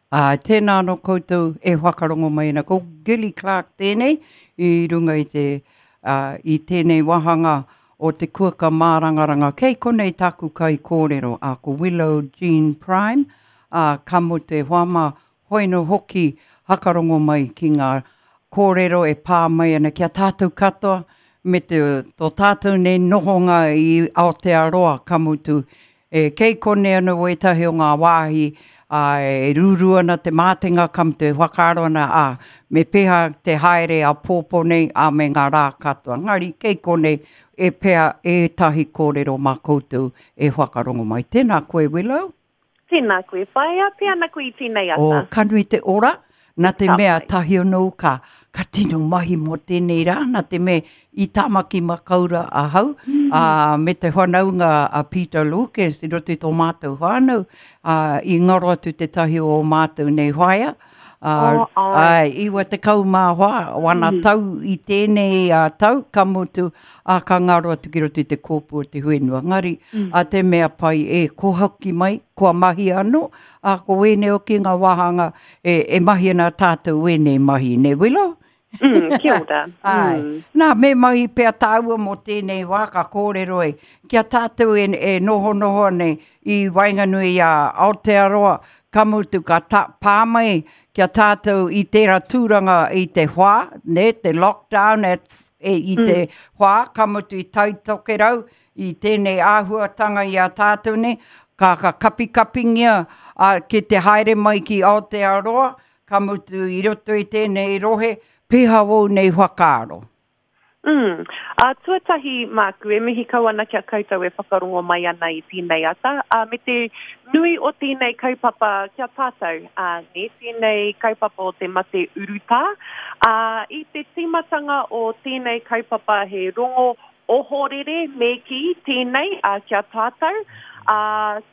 Ā, tēnā anō koutou e whakarongo mai ana. Ko Gilly Clark tēnei i runga i te, ā, i tēnei wāhanga o te kuaka mārangaranga. Kei konei tāku kaikōrero, ā, ko Willow Jean Prime, ā, ka mutu e hoa mā, hoi nō hoki hakarongo mai ki ngā kōrero e pā mai ana ki a tātou katoa me te, tō tātou nei nohonga i Aotearoa, ka mutu E, kei konei anō wētahi o ngā wāhi, ā, e rūrū ana te mātenga, ka mutu e whakaaro ana, ā, me pēhea te haere āpōpō nei, ā, me ngā rā katoa. Engari, kei konei e pea ētahi kōrero mā koutou e whakarongo mai. Tēnā koe, Willow. Tēnā koe, whaea, pē ana koe i tēnei ata. Oh, ka nui te ora, nā te mea tahi anō ka, ka tino mahi mō tēnei rā, nā te mea i Tāmaki Makaura ahau, mm. ā, me te whanaunga a Peter Lucas i roto i tō mātou whānau, ā, i ngaro atu tētahi o ō mātou nei whaea, ā, oh, ai. 94, wana mm. tau i tēnei uh, tau, ka mutu, ā, ka ngaro atu ki roto i te kōpū o te whenua. Ngari, mm. a te mea pai e ko hoki mai, kua mahi anō, ā, ko wēnei hoki ngā wāhanga e, e mahi ana tātou wēnei mahi, ne Willow? Mm, kia ora. Ai. Mm. Nā, me mahi pea tāua mō tēnei wā ka kōrero e, kia tātou e, e nohonoho nei i waenganui i a Aotearoa, ka mutu ka ta, pā mai kia tātou i tērā tūranga i te whā, ne, te lockdown at e, i te mm. whā, ka mutu i Tai Tokerau, i tēnei āhuatanga i a tātou nei, ka, ka kapikapingia a, ki te haere mai ki Aotearoa, ka mutu i roto i tēnei rohe, pēhea wōu nei whakaaro? Mm. Ā, tuatahi māku, e mihi kau ana ki a koutou e whakarongo mai ana i tēnei ata, ā, me te nui o tēnei kaupapa ki a tātou, ā, nē, tēnei kaupapa o te mate urutā. Ā, i te tīmatanga o tēnei kaupapa he rongo ohorere me kī tēnei, ā, ki a tātou, ā,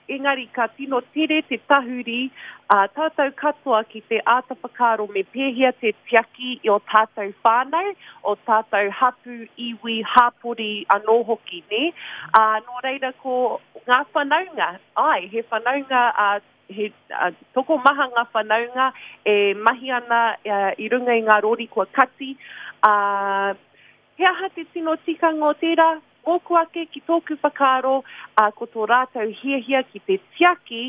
engari ka tino tere te tahuri ā tātou katoa ki te āta whakaaro me pēhea te tiaki i ō tātou whānau, ō tātou hapū, iwi, hāpori anō hoki, nē? Ā, nō reira ko ngā whanaunga, āe, he whanaunga, ā, he tokomaha ngā whanaunga e mahi ana i runga i ngā rori kua kati, ā, He aha te tino tikanga o tērā? Mōku ake, ki tōku whakaaro, ā, ko tō rātou hiahia ki te tiaki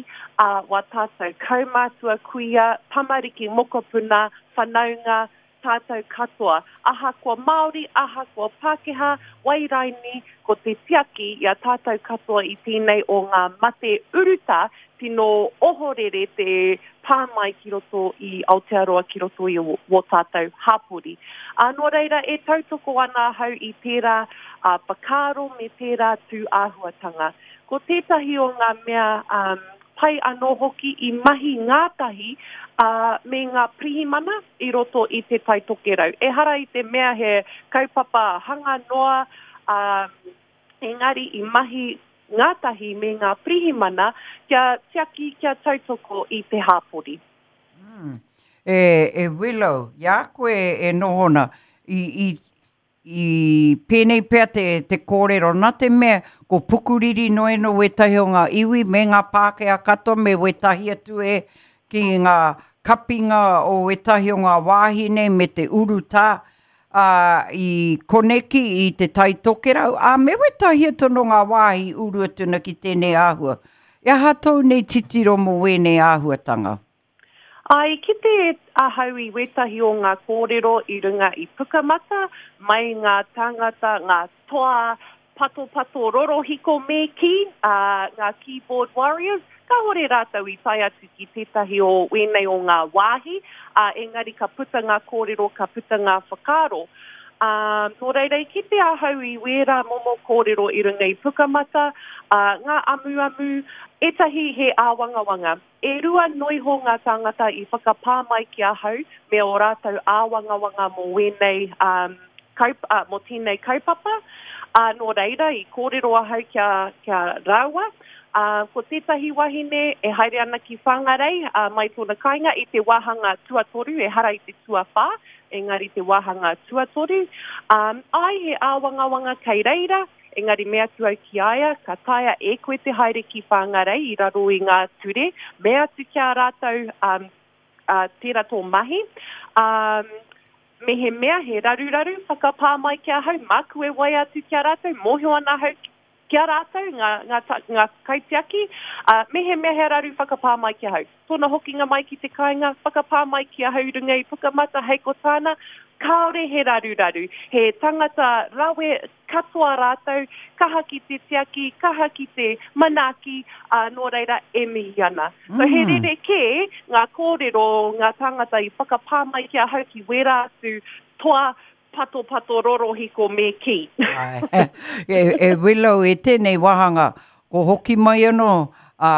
ā wā tātou kaumātua, kuia, tamariki, mokopuna, whanaunga, tātou katoa. Ahakoa Māori, ahakoa Pākehā, wai raini, ko te tiaki i a tātou katoa i tēnei o ngā mate urutā tino ohorere te pā mai ki roto i Aotearoa, ki roto i wō tātou hāpori. Ā, nō reira, e tautoko ana ahau i tērā whakaaro me tērā tū āhuatanga. Ko tētahi o ngā mea pai anō hoki i mahi ngātahi me ngā pirihimana i roto i Te Tai Tokerau. Ehara i te mea he kaupapa hanga noa, engari i mahi ngātahi me ngā pirihimana kia tiaki, kia tautoko i te hāpori. Mm. E, e Willow, i a koe e noho ana, i, i, i pēnei pea te, te kōrero, nā te mea ko Pukuriri noa no wētahi o ngā iwi me ngā Pākehā katoa me wētahi atu e ki ngā kapinga o wētahi o ngā wāhi nei me te urutā, ā, i koneki i Te Tai Tokerau, ā, me wētahi atu anō ngā wāhi uru atu ana ki tēnei āhua. E aha tōu nei titiro mō wēnei āhuatanga? Ā, i kite ahau i wētahi o ngā kōrero i runga i Pukamata, mai ngā tāngata, ngā toa patopatō rorohiko me kī, ā, ngā keyboard warriors, kāhore rātou i tae atu ki tētahi o wēnei o ngā wāhi, ā, engari ka puta ngā kōrero, ka puta ngā whakaaro. Ā, nō reira i kite ahau i wērā momo kōrero i runga i Pukamata, ā, ngā amuamu, ētahi he āwangawanga. E rua noiho ngā tāngata i whakapā mai ki ahau me ō rātou āwangawanga mō wēnei, ā, kaup, ā, mō tēnei kaupapa, ā, nō reira i kōrero ahau ki a, ki a rāua. Ā, ko tētahi wahine e haere ana ki Whangarei, ā, mai tōna kāinga i te wāhanga tuatoru, ehara i te tuawhā, engari te wāhanga tuatoru. Ā, āe he āwangawanga kei reira, Engari me atu au ki a ia, ka taea e koe te haere ki Whangarei i raro i ngā ture, me atu ki a rātou, um, ā, tērā tō mahi. Ā, mehemea he raruraru, whakapā mai ki ahau, māku e waea atu ki a rātou, mōhio ana ahau ki a rātou, ngā, ngā, ngā kaitiaki, ā, mehemea he raru whakapā mai ki ahau. Tōna hokinga mai ki te kāinga, whakapā mai ki ahau i runga i Pukamata, hei ko tāna, kāore he raruraru, he tangata rawe katoa rātou, kaha ki te tiaki, kaha ki te manaaki, ā, nō reira e mihi ana. So he rerekē ngā kōrero ngā tāngata i whakapā mai ki ahau ki wērā atu toa Patopato rorohiko me kī. Āe. E, e Willow, e tēnei wāhanga, ko hoki mai anō, ā,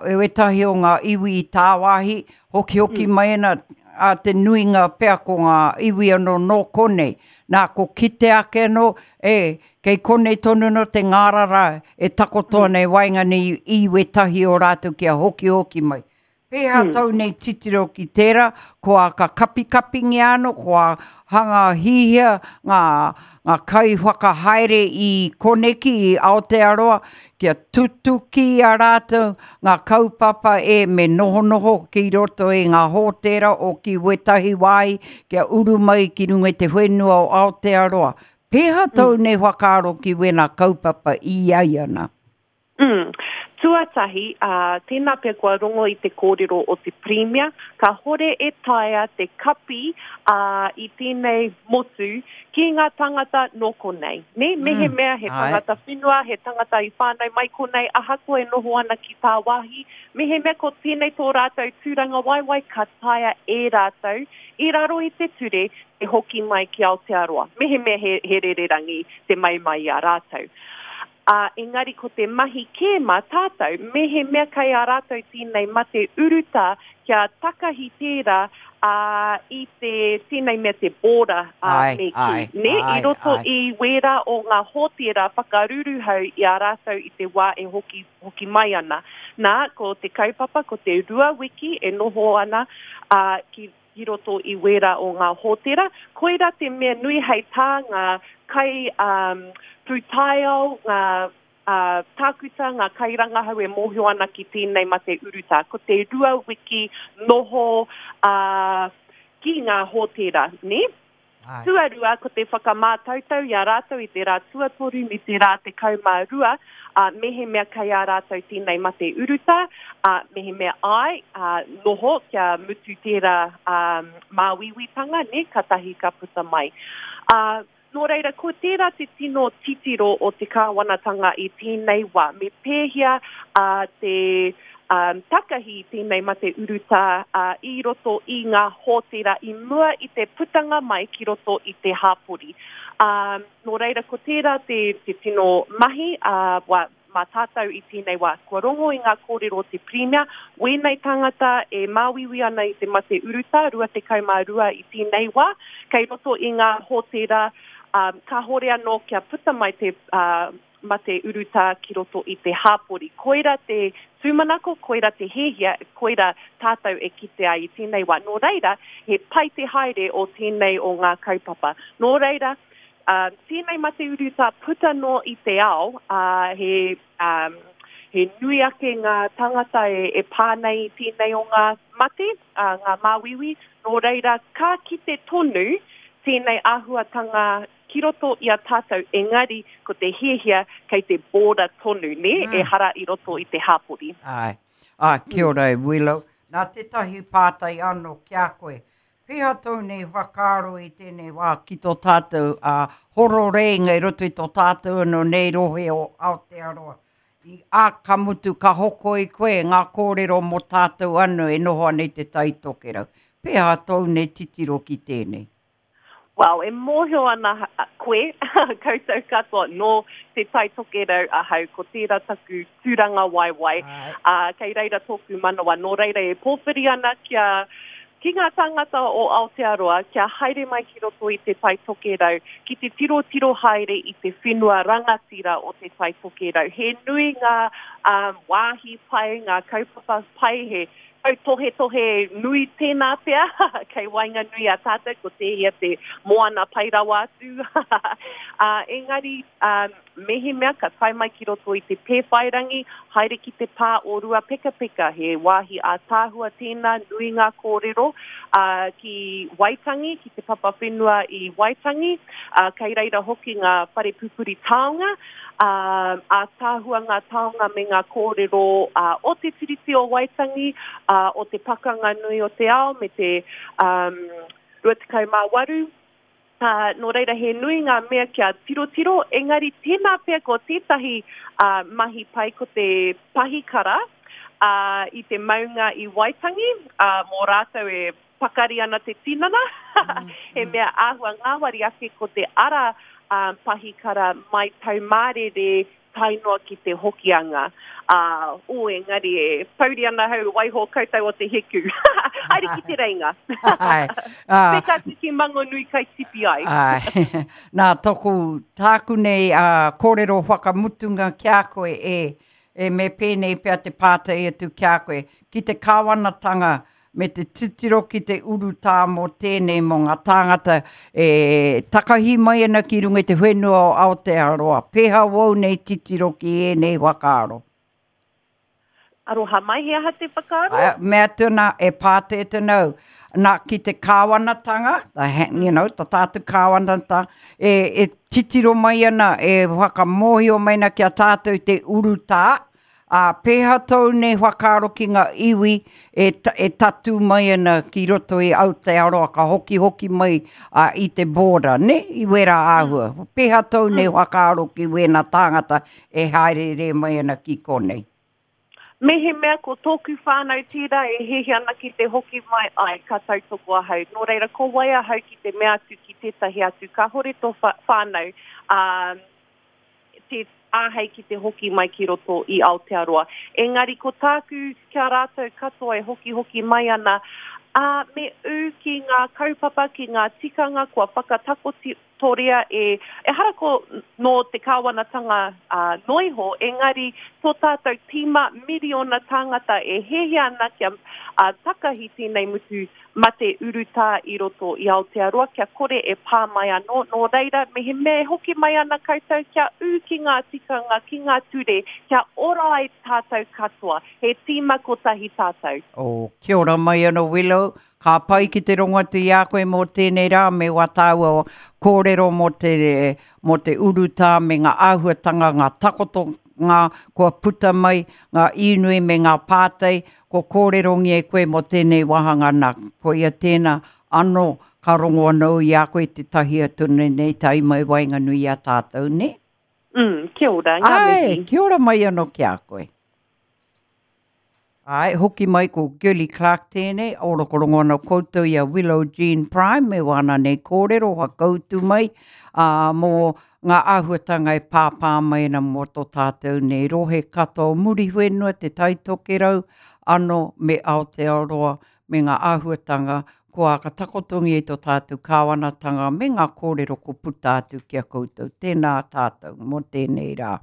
e wētahi o ngā iwi i tāwāhi, hokihoki mai ana, a te nuinga pea ko ngā iwi anō nō konei. Nā, ko kite ake anō, e, kei konei tonu anō te ngārara e takoto ana i waenganui i wētahi o rātou kia hokihoki mai. Pēhea tau nei titiro ki tērā, kua ka kapikapingia anō, kua hanga hihia ngā, ngā kaiwhakahaere i koneki, i Aotearoa, kia tutuki i a rātou ngā kaupapa e me nohonoho ki roto i ngā hōtēra o ki wētahi wāhi kia uru mai ki runga i te whenua o Aotearoa. Pēhea tau nei whakaaro ki wēnā kaupapa i ai ana? Mm. Tuatahi, ā, tēnā pea kua rongo i te kōrero o te Pirimia, kāhore e taea te kapi, ā, i tēnei motu ki ngā tāngata nō konei, nē? Mehemea he tangata whenua, he tangata i whānau mai konei, ahakoa e noho ana ki tāwāhi, mehemea ko tēnei tō rātou tūrangawaewae, ka taea e rātou, i raro i te ture, te hoki mai ki Aotearoa, mehemea he, he rererangi te mau mai i a rātou. Ā, engari ko te mahi kē mā tātou, mehemea kei a rātou tēnei mate urutā kia takahi tērā, ā, i te, tēnei mea te border, ā, me kī, nē, i roto i wērā o ngā hōtēra whakaruruhau i a rātou i te wā e hoki, hoki mai ana. Nā, ko te kaupapa, ko te rua wiki e noho ana, ā, ki, ki roto i wērā o ngā hōtēra. Koirā te mea nui hei tā ngā kai um, pūtaiao, ngā uh, tākuta, ngā kairangahau e mōhio ana ki tēnei mate urutā. Ko te rua wiki noho uh, ki ngā hōtēra, nē? Tuarua, ko te whakamātautau i a rātou i te rā tuatoru me te rā 12, ā, mehemea kei a rātou tēnei mate urutā, ā, mehemea āe, ā, noho kia mutu tērā, ā, māuiuitanga, nē, katahi ka puta mai. Ā, nō reira, ko tērā te tino titiro o te kāwanatanga i tēnei wā, me pēhea, ā, te, ā, takahi i tēnei mate urutā, ā, i roto i ngā hōtēra i mua i te putanga mai ki roto i te hāpori. Ā, nō reira, ko tērā te, te tino mahi, ā, wā, mā tātou i tēnei wā. Kua rongo i ngā kōrero o te Pirimia, wēnei tāngata e māuiui ana i te mate urutā, 22 i tēnei wā, kei roto i ngā hōtēra, ā, kāhore anō kia puta mai te, ā, mate urutā ki roto i te hāpori. Koira te tūmanako, koira te hiahia, koira tātou e kite ai i tēnei wā. Nō reira, he pai te haere o tēnei o ngā kaupapa. Nō reira, ā, tēnei mate urutā puta noa i te ao, ā, he, ā, he nui ake ngā tāngata e, e pā nei i tēnei o ngā mate, ā, ngā māuiui. Nō reira, ka kite tonu tēnei āhuatanga ki roto i a tātou, engari ko te hiahia kei te border tonu, nē, mm. ehara i roto i te hāpori. Āe. Ā, kia ora e Willow. Nā tētahi pātai anō ki a koe. Pēhea tōu nei whakaaro i tēnei wā ki tō tātou ā, hororeinga i roto i tō tātou anō nei rohe o Aotearoa? I, ā, ka mutu, ka hoko i koe ngā kōrero mō tātou anō e noho ana i te Tai Tokerau. Pēhea tōu nei titiro ki tēnei? Well, e mōhio ana koe, koutou katoa, nō Te Tai Tokerau ahau, ko tērā taku tūrangawaewae, ā, kei reira tōku manawa. Nō reira e pōwhiri ana kia, ki ngā tāngata o Aotearoa, kia haere mai ki roto i Te Tai Tokerau, ki te tirotiro haere i te whenua rangatira o Te Tai Tokerau. He nui ngā, ā, wāhi pai, ngā kaupapa pai, he. Tautohetohe nui tēnā pea, kei waenganui a tātou, ko tēhea te moana pai rawa atu. Ā, engari, ā, mehemea ka tae mai ki roto i te Pēwhairangi, haere ki te pā o Ruapekapeka, he wāhi ātaahua tēnā, nui ngā kōrero, ā, ki Waitangi, ki te papa whenua i Waitangi, ā, kei reira hoki ngā whare pupuri taonga, Ā, ātaahua ngā taonga me ngā kōrero o Te Tiriti o Waitangi, ā, o te pakanga nui o te ao me te 28. Ā, nō reira he nui ngā mea kia tirotiro, engari tēnā pea ko tētahi mahi pai ko te pahikara, ā, i te maunga i Waitangi, ā, mō rātou e pakari ana te tinana, he mea āhua ngāwari ake ko te ara pahikara mai Taumārere tae noa ki te Hokianga. Ā, ū, engari e pouri ana hau waiho koutou o te hiku. Haere ki te reinga. Āe. Peka atu ki Mangonui kai tipi ai. Āe. Nā, toku, tāku nei kōrero whakamutunga ki a koe e, e me pēnei pea te pātai atu ki a koe, ki te kāwanatanga me te titiro ki te urutā mō tēnei mō ngā tāngata e takahi mai ana ki runga i te whenua o Aotearoa. Pēhea wou nei titiro ki ēnei whakaaro? Aroha mai, he aha te whakaaro? Ai, mea atu ana, e pātai atu ana au, nā, ki te kāwanatanga, the, you know, tā tātou kāwanatanga, e, e titiro mai ana, e whakamōhio mai ana ki a tātou te urutā, Ā, pēhea tōu nei whakaaro ki ngā iwi e, e tatū mai ana ki roto i Aotearoa ka hokihoki mai ā, i te border, nē, i wērā āhua? Pēhea tōu nei whakaaro ki wēnā tāngata e hāereere mai ana ki konei? Mehemea ko tōku whānau tērā e hiahia ana ki te hoki mai, āe, ka tautoko ahau. Nō reira, ko wai ahau ki te mea atu ki tētahi atu, kāhore tō whānau, ā, te āhei ki te hoki mai ki roto i Aotearoa. Engari ko tāku ki a rātou katoa e hokihoki mai ana, ā, me ū ki ngā kaupapa, ki ngā tikanga kua whakatakotoria e, ehara ko nō te kāwanatanga noa iho, engari tō tātou tīma miriona tāngata e hiahia ana kia takahi tēnei mutu mate urutā i roto i Aotearoa kia kore e pā mai anō, nō reira, mehemea e hoki mai ana koutou kia ū ki ngā tikanga, ki ngā ture, kia ora ai tātou katoa, he tīma kotahi tātou. Oh, kia ora mai anō Willow, ka pai ki te rongo atu i a koe mō tēnei rā me wā tāua kōrero mō te, mō te urutā me ngā āhuatanga, ngā takotonga kua puta mai, ngā īnui me ngā pātai, Kua kōrerongia e koe mō tēnei wāhanga nā, koia tēnā anō ka rongo anō i a koe tētahi atu nei tae mai waenganui i a tātou, nē? Mm, kia ora, ngā mihi. Āe, kia ora mai anō ki a koe. Āe, hoki mai ko Girlie Clarke tēnei, orokorongo ana koutou i a Willow Jean Prime me wāna nei kōrero whakautu mai, ā, mō ngā āhuatanga e pāpā mai ana mō tō tātou nei rohe katoa o Muriwhenua, Te Tai Tokerau, ano me Aotearoa me ngā āhuatanga kua whakatakotongia i tō tātou kāwanatanga me ngā kōrero kua puta atu ki a koutou. Tēnā tātou mō tēnei rā.